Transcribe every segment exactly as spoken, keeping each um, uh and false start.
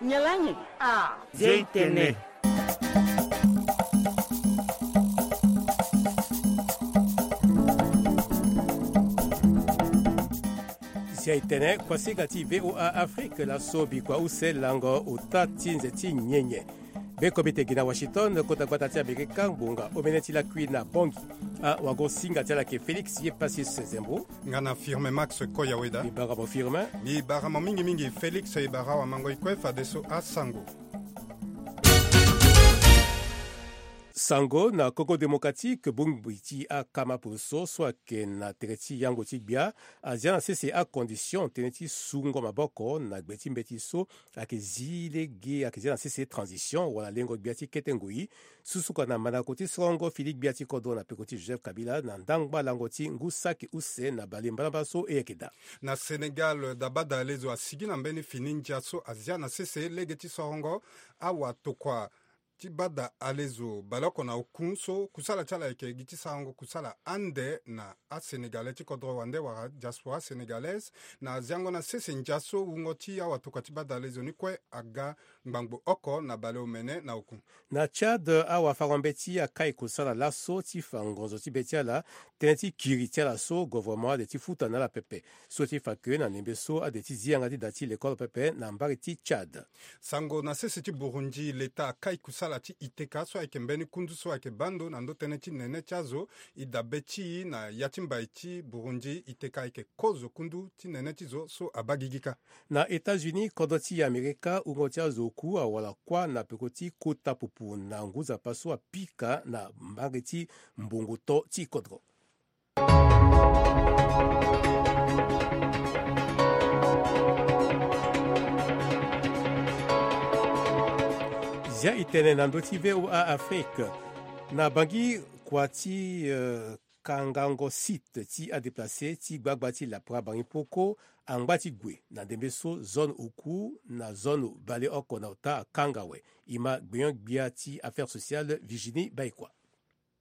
Nyen laa nyen? Ah, Zia e tene. Zia e tene, kuasinga ti V O A Afrique laso, bikua use lango ota ti nze ti nyenye. Be komite gi na Washington, kota gbata ti Amerika, ngbonga omene ti lakui na Bangui. Awagosinga ti ala ayeke Félix Yepassis Zembo. Nga na Firmin Max Koyaweda. Mbi bara mo Firmin. Mbi bara mo mingi mingi Félix, e bara awamango e kue fadeso asango. Sango na Congo Démocratique, bongbi ti akama poroso so ayeke na tere ti yango ti gbia azia na sese acondition tënë ti sungo maboko na gbe ti mbeti so ayeke zi lege, ayeke zia na sese transition wala lengo gbia ti kete ngoi. Susuka na mandako ti sorongo fini gbia ti kodro na peko ti Joseph Kabila na ndangba lango ti ngu saki use na bale mbalambala so e yeke daa. Na Sénégal, dabada alezo asigi na mbeni fini ndia so azia na sese lege ti sorongo awatokua ti bada alezo baleoko na oku so kusala ti ala ayeke gi ti sarango kusala ande na asénégalais ti kodro wande wala diaspora sénégalaise. Na ziango na sese ndia so wungo ti awatokua ti bada alezo ni kue aga ngbangbo oko na baleomene na oku. Na Tchad, awafango-mbeti akai kusala laso ti fa ngonzo ti be ti ala tënë ti kiri ti ala so gouvernement ade ti futa na ala pepe. So ti fa ke na ndembe so ade ti zi yanga ti da ti lekole pepe na mbage ti Tchad. Sango na sese ti Burundi, leta akai kusala ti I T K so ayeke mbeni kundu so ayeke baa ndo na ndo tënë ti nene ti azo. E dabe ti e na ya ti mbai ti Burundi, I T K ayeke kozo kundu ti nene ti zo so abaa gigi kâ. Na États-Unis, kodro ti Amerika, wungo ti azo oku awara kuâ na peko ti kota pupu na ngu nzapa so apika na mbage ti mbongo to ti kodro. Zia e tene na ndö ti V O A Afrique. Na Bangui, kua ti, euh, kangango site ti adéplacé ti gbagba ti lapara Bangui Poko angba ti gue na ndembe so zone oku na zone baleoko na ota akanga awe. E ma gbenyo-gbia ti affaires sociales Virginie Baïkua.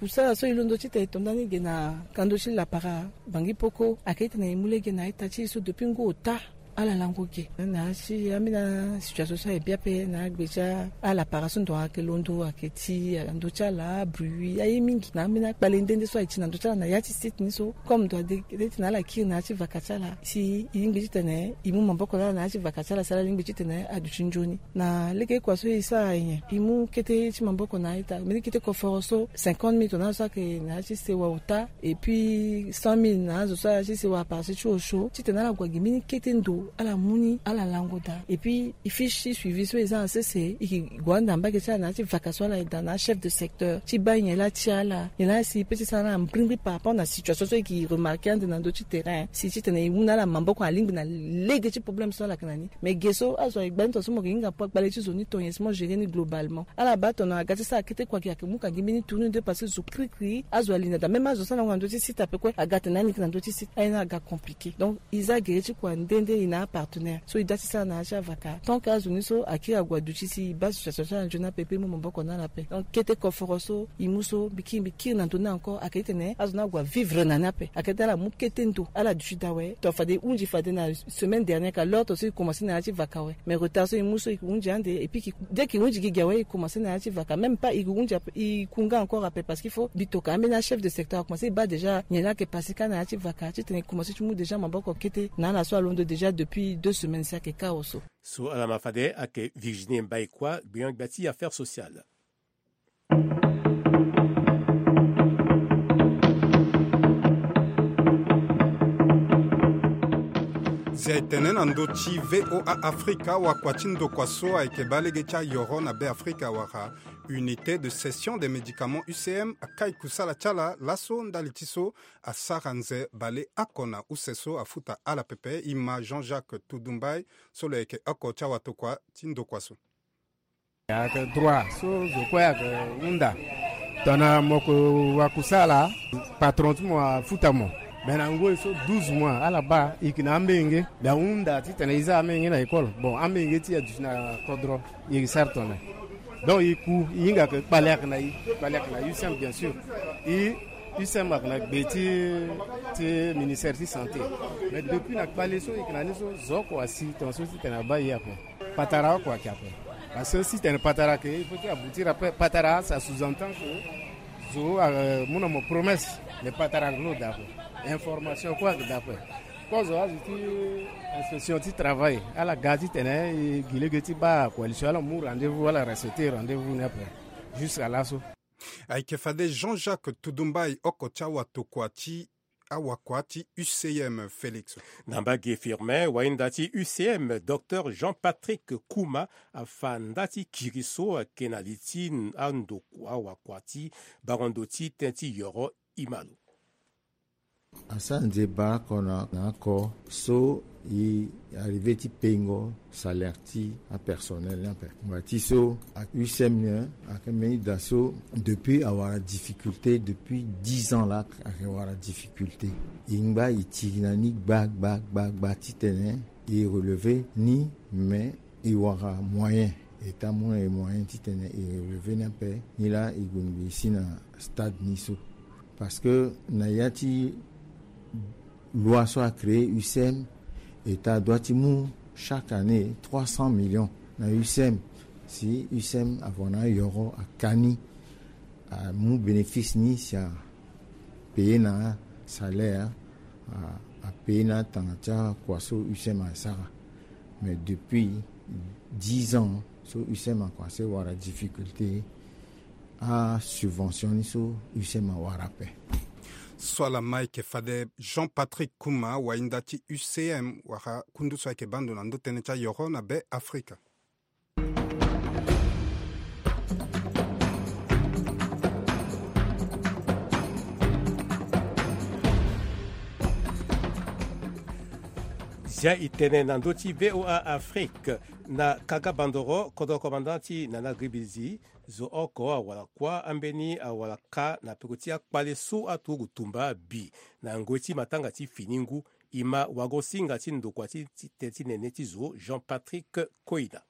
Kusala so e londo titene e to ndani ge na kando ti lapara Bangui Poko ayeke titene e mu lege na ita ti e so depuis ngu ota ala lango ge. Na ya ti ambeni asituation so aye bi ape na agbe ti alapara so ndo ayeke londo ayeke ti ala ndö ti ala abruit aye mingi na ambeni akpale nde nde so aye ti na ndö ti ala na ya ti site ni so. Comme ndo ade ti na ala kiri na ya ti vaka ti ala si e lingbi titene e mu maboko na ala na ya ti vaka ti ala si ala lingbi titene aduti nzoni. Na lege kua so e sara nyen? E mu kete ti maboko na a-ita mbeni kete koforo so cinquante mille tongana azo so ayeke na ya ti sewa ota, et puis cent mille na azo so ayeke na ya ti sewa aparcelle ti osio titene ala gue gi mbeni kete ndo ala mu ni ala lango daa. Et puis e fiche ti suivi so e za na sese e yeke gue ande na mbage ti ala na ya ti vaka so ala yeke daa na achef de secteur ti baa nyen laa ti ala nyen laa si e peut ti sara na ala mbrimbri par rapport na situation so e yeke remarqué ande na ndö ti terrain si titene e mu na ala maboko alingbi na lege ti problème so ala yeke na ni. Mais ge so azo aye gbani tonga so mo yeke hinga kpale ti zo ni tonga si mo gérer ni globalement. Ala baa tongana aga ti sara kete kua gi ayeke mu ka gi mbeni tourner nde parce que zo krikri azo ali na daa même azo so alango na ndö ti site ape kue aga tene na ala yeke na ndö ti site aye ni aga compliqué. Donc e za gere ti kua nde nde e na apartenaire so e daa ti sara na ya ti avaka tant que azo ni so akiri ague aduti si e baa association ti ala nzoni ape pe e mu maboko na ala ape. Donc kete koforo so e mu so mbi kiri mbi kiri na ndö ni encore ayeke titene azo ni ague avivre na ni ape ayeke titene ala mu kete ndo ala duti daa awe. Tongana fade e hunzi fade na semaine dernière ka l'autre so e commencé na ya ti vaka awe. Mais retard so e mu so e ke hunzi ande et puis dès que e hunzi gigi awe e commencé na ya ti vaka même pas e ke hunzi ape e ku nga encore ape parce qu'il faut mbi toka ambeni achef de secteur akomanse e baa déjà nyen laa ayeke passé kâ na ya ti vaka titene e komanse ti mu déjà maboko kete na ala so alondo déjà depuis deux semaines si ayeke kâ oso. So ala ma fade ayeke Virginie Mbaïkua gbenyo-gbia ti affaires sociales. Zia e tene na ndö ti V O A Afrika wakua ti ndokua so ayeke baa lege ti ayoro na Be Afrika wala Unité de Cession des Médicaments U C M akai kusala ti ala laso ndali ti so asara nze baleoko na use so afuta ala pepe. E ma Jean-Jacques Toudou Mbaye so lo yeke oko ti awatokua ti ndokua so. Ayeke droit so zo kue ayeke hunda. Tongana mo yeke wakusala, patron ti mo afuta mo. Me na ngoi so douze mois ala baa e yeke na ambenge. Me ahunda titene e za ambenge na école. Bon, ambenge ti e aduti na kodro. E yeke sara tongana. Donc e ku e hinga yeke kpale ayeke na e, kpale ayeke na U C M bien sûr. E U C M ayeke na gbe ti, ti ministère ti santé. Mais depuis na kpale so e yeke na ni so zo oko asi tongana so titene abaa e ape. Patara oko ayeke ape. Parce que si tene patara ayeke, il faut ti aboutir ape. Patara, ça sous-entend que zo, euh, mu na mo promesse. Mais patara ayeke no daa ape. Information kue ayeke daa ape. Kozo azo ti inspection ti travail ala ga titene e gi lege ti baa coalition, ala mu rendez-vous, ala respecter rendez-vous ni ape. Jusqu'à laso. Ayeke fade Jean-Jacques Tudumbai, oko ti awatokua ti awakua ti U C M, Félix. Na mbage Firmin, wainda ti U C M, docteur Jean-Patrick Kouma, afa nda ti kiri so ayeke na li ti andokua awakua ti bango ndo ti tënë ti yoro. Ima lo. Asara nzeba oko na, na oko so e arrivé ti payengo salaire ti apersonnel ni ape. Ngbanga ti so, a-, U C M ni ayeke mbeni da so depuis awara difficulté, depuis dix ans laa ayeke wara difficulté. E ngba e tiri na ni gba gba gba gba titene e relever ni, mais e wara moyen. E ta mu na e moyen titene e relever ni ape. Nilaa e gue ngbii si na stade ni so. Parce que na ya ti loi so a créé U C M, e ta doit ti mu chaque année trois cents millions na U C M. Si U C M avan na ayoro aka ni, amu bénéfice ni si a payer na salaire, a, a payer na tanga ti akua so U C M asara. Mais depuis dix ans so U C M a commencé wara difficulté, asubvention ni so U C M awara ape. So ala ma ayeke fade Jean-Patrick Kouma, wainda ti U C M, wara kundu so ayeke baa ndo na ndö tënë ti ayoro na Be Afrika. Zia e tene na ndö ti V O A Afrique, na Kaka Bandoro, kodro commandant ti Nana Gribizi, zo oko awara kuâ ambeni awara kâ na peko ti akpale so aturugu tumba abi na ngoi ti matanga ti fini ngu. E ma wagosinga ti ndokua ti, ti tënë ti nene ti zo, Jean-Patrick Koina.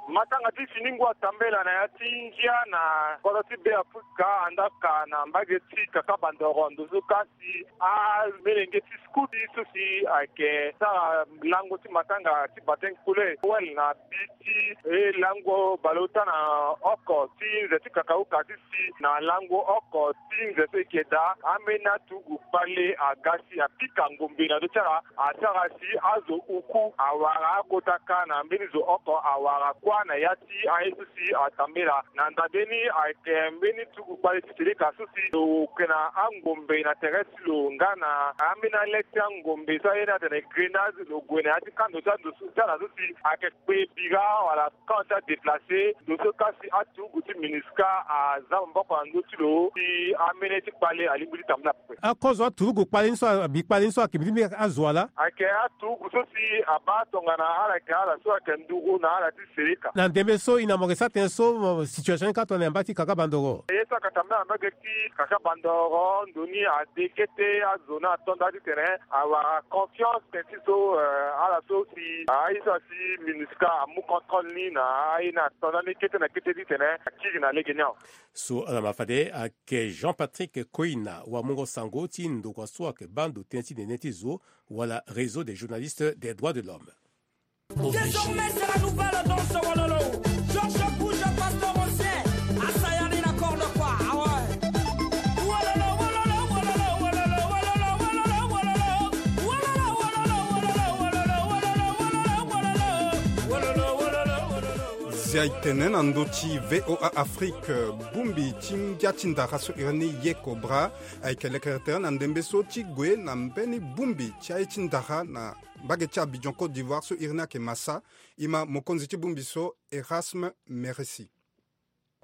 Matanga ti fini ngu atambela na ya ti ngia na kodro ti Be Afrika, andaa ka na mbage ti Kaka Bandoro, ndo so kasi amolenge ti scout so si ayeke sara lango ti matanga ti baptême couleur wele na bi ti e lango baleota na oko ti nze ti kakauka ti si na lango oko ti nze so e yeke daa, ambeni aturugu kpale aga si apika ngombe na ndö ti ala, asara si azo uku awara akota kâ na mbeni zo oko awara kuâ na ya ti aye so si atambela. Na nda mbeni ayeke mbeni tuku kpale ti seleka so si lo ke na angombe na tere ti lo nga na ambeni ale ti angombe so aye ni atene grenade, lo gue na ya ti kando ti ando so ti ala so si ayeke kpe bira wala camp ti adéplacé. Ndo so kasi aturugu ti MINUSCA aza maboko na ndö ti lo si amene ti kpale alingbi ti tambula. Akozo aturugu kpale ni so, abi kpale ni so ayeke mbi ti mbi azo ala? Ayeke aturugu so si abaa tongana ala yeke ala so ayeke nduru na ala ti seleka. Na ndembe so e na mo yeke sara tënë so, mo situation ni ka tongana na yamba ti Kaka Bandoro? Ye so ayeke tambula na mbage ti Kaka Bandoro, ndo ni ade kete azo ni ato nda titene awara confiance tënë ti so, eh, ala so si aye so asi MINUSCA amu contrôle ni na aye ni ato nda ni kete na kete titene akiri na lege ni awe. So ala ma fade ayeke Jean-Patrick Koina, wamungo sango ti ndokua so ayeke baa ndo tënë ti nene ti zo, wala Réseau des journalistes des droits de l'homme. Désormais, c'est la nouvelle danse, wololo. Georges Bouge, Pasteur Roger, Asayani, la corde, quoi. Ah ouais. Wololo, wololo, wololo. Zia e tene na ndö ti V O A Afrique, bongbi ti ngia ti ndara so iri ni Yeko Bra ayeke lekere tere na ndembe so ti gue na mbeni bongbi ti aye ti ndara na mbage ti Abidjan, Côte d'Ivoire, so iri ni ayeke Massa. E ma mokonzi ti bongbi so, Erasme Meresi.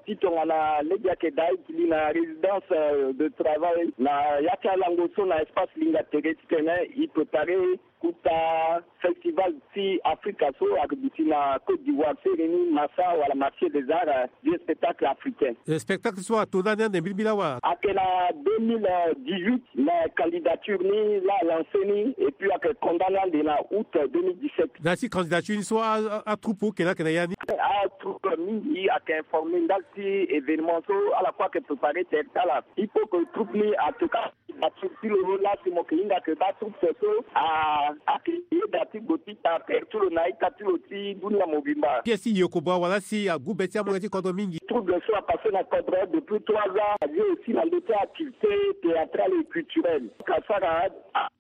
Ti tongana lege ayeke daa e gi li na résidence, euh, de travail na ya ti alango so na espace Linga Tere titene e préparer kota festival ti Afrika so ayeke duti na Côte d'Ivoire, so iri ni Massa wala Marché des Arts, euh, du spectacle africain. Eh, spectacle so ato ndani ande mbilimbili awe? Ayeke na deux mille dix-huit, mais candidature ni laa a lancé ni, et puis ayeke condamné ande na août deux mille dix-sept. Nda ti candidature ni so a, a, atroupe oke ni ayeke na ya ni? Atroupe mingi ayeke informé ndali ti événement so ala kue ayeke préparé tere ti ala. Il faut que troupe ni atoka Atur ti lo la si mo yeke hinga ayeke baa troupe so ayeke yeda ti gbo ti ta aperture na ita ti lo ti dunia mobimba. Pièce ti Yekobra wala si agu be ti amolenge ti kodro mingi. Troupe so apasse na kodro depuis trois ans, aye aussi na ndö ti activité théâtrale et culturelle. Ka sara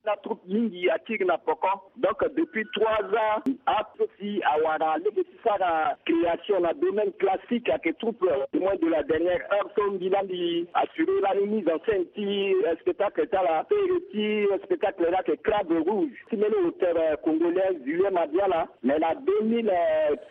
na troupe mingi akiri na poko. Donc depuis trois ans, ape si awara lege ti sara création na domaine classique ayeke troupe Témoin de la dernière heure so mbi laa mbi assuré lani mise en scène ti spectacle ti ala. Pere ti spectacle laa ayeke Crabe Rouge ti mbeni auteur congolais Julien Mabiala. Mais na deux mille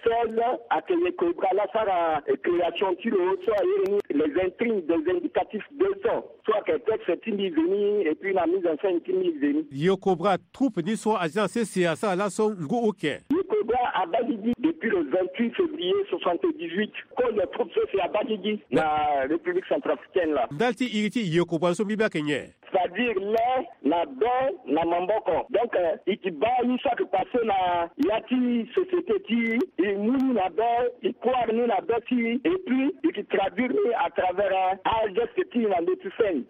seize ayeke Yekobra laa asara création ti lo so aye ni Les Intrigues des Indicatifs deux cents. So ayeke texte ti mbi veni et puis na mise en scène ti mbi veni. Yekobra troupe ni so aza na sese asara laso ngu oke. Yekobra abaa gigi depuis le vingt-huit février soixante-dix-huit. Code troupe sese abaa gigi na République centrafricaine laa. Ndali ti iri ti Yekobra so mbi baa ayeke nyen? C'est-à-dire lê na be na maboko. Donc, euh, e ke baa ye so ayeke passé na ya ti société ti e, e mu ni na be, e croire ni na be ti e, et puis e ke traduire ni à travers, euh, ageste ti e na ndö ti scène.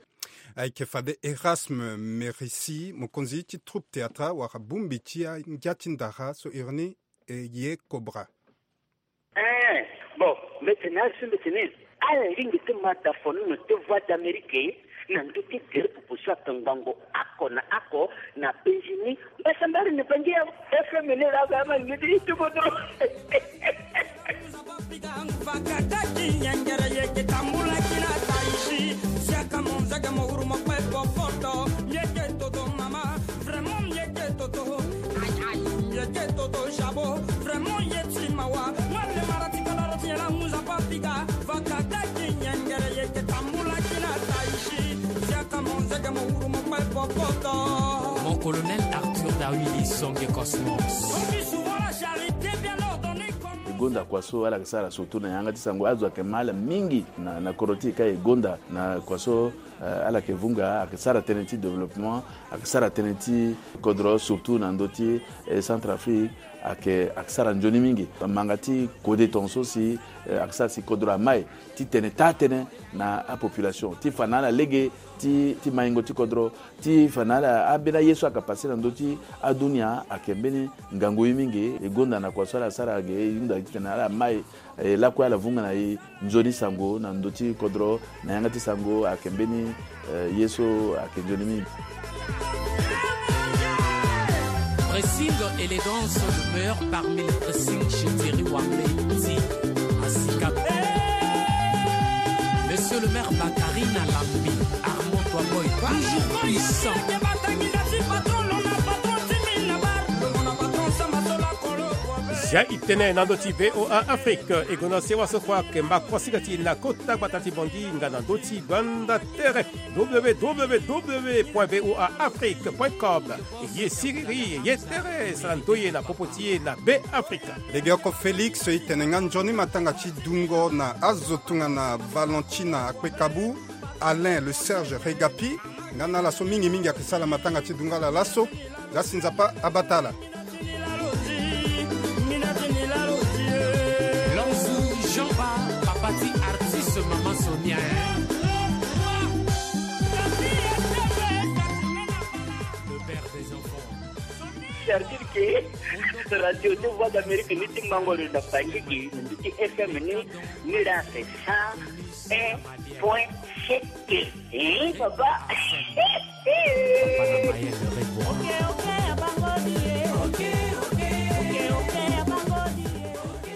Ayeke fade Erasme Merisi, mokonzi ti troupe théâtrale wala bongbi ti angia ti ndara so iri ni Yekobra. Eh, bon, mbi tene azo, mbi tene ala lingbi ti ma dafonono ti Voix d'Amérique na ndö ti gere popo so ayeke ngbongo oko na oko na penzi ni. Mbasambara ni bangi ya F M ni laa, ba ma ni ti kodro. Fakata ti nyengere yeke tambula kina taisi. Siaka mo nzege mo wuru mo kpe bofoto. Yeke toto mama. Vraiment, yeke toto. Aïe, aïe. Yeke toto jabo. Vraiment, ye ti mawa. Wale mara ti kodoro ti yela muza papiga. Fakata ki nyengere yeke tambula kina taisi. Siaka mo nzege mo wuru mo kpe popoto. Mon colonel Arthur Dawili Songe Cosmos. On dit souvent la charité bien ordonnée comme e gonda kua so ala yeke sara surtout na yanga ti sango, azo ayeke ma ala mingi na, na kodro ti e ka e gonda na kua so. Eh, ala yeke vunga, ayeke sara tënë ti développement, ayeke sara tënë ti kodro, surtout na ndö ti, eh, Centrafrique, ayeke, ayeke sara nzoni mingi. Manga ti kode tongaso si, eh, ayeke sara si kodro amai ti tene taa-tënë na apopulation ti fa na ala lege ti, ti maingo ti kodro, ti fa na ala ambeni aye so ayeke passé na ndö ti adunia ayeke mbeni ngangu ye mingi. E gonda na kua so ala sara ge, e hunda titene ala mai. E lakue ala vunga na e nzoni sango na ndö ti kodro na yanga ti sango ayeke mbeni, eh, ye so ayeke nzoni mingi. Pressing, élégance, demeure parmi les pressings chez Thierry Wambe ti Asika. Monsieur le maire Bakari na Lambi, Armand Toiboy, toujours puissant. Zia e tene na ndö ti V O A Afrique, e gue na sewa so kue ayeke mba kuasinga ti e na kota gbata ti Bangui nga na ndö ti gbanda tere w w w point v o a afrique point com. Ye siriri, ye tere, sara ndoye na popo ti e na Be Afrika. Legeoko Félix e tene nga nzoni matanga ti dungo na azo tongana Valentina Akwekabu, Alain le Serge Regapi, nga na ala so mingi mingi ayeke sara matanga ti dungo ala laso. Za si Nzapa abata ala. Lonzu Jean-Ba, papa ti artiste Mama Sonia, hein. Le père des enfants. C'est-à-dire que radio de Voix d'Amérique ni ti mango lo na Bangui, ni ti F M ni, ni la c'est cent un point sept. Eh, papa. Papa na Maël Reboa.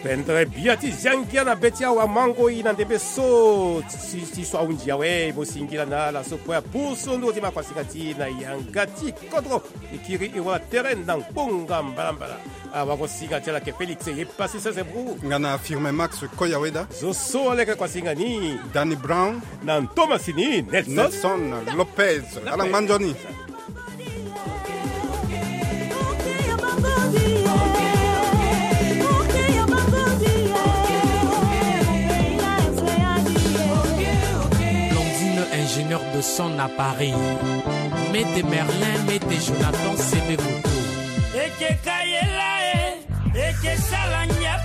Pendere bia ti zia ngia na be ti awa mango e na ndembe so ti, ti so ahunzi awe, mo singila na ala so kue apusu nduru ti makuasinga ti e na yanga ti kodro. E kiri e wara tere na ngbonga mbalambala. Awagosinga ti ala ayeke Félix ye pasi sese bru. Nga na Firmin Max Koyaweda. Zo so aleke kuasinga ni. Danny Brown. Na ntomasi ni Nelson. Nelson Lopez. Lopez. Ala ngba nzoni. Blondine, ingénieur de son à Paris. Mete Merlin, mete Jonathan, Sebe Moto. Eke ka ye la e, eke sala ngia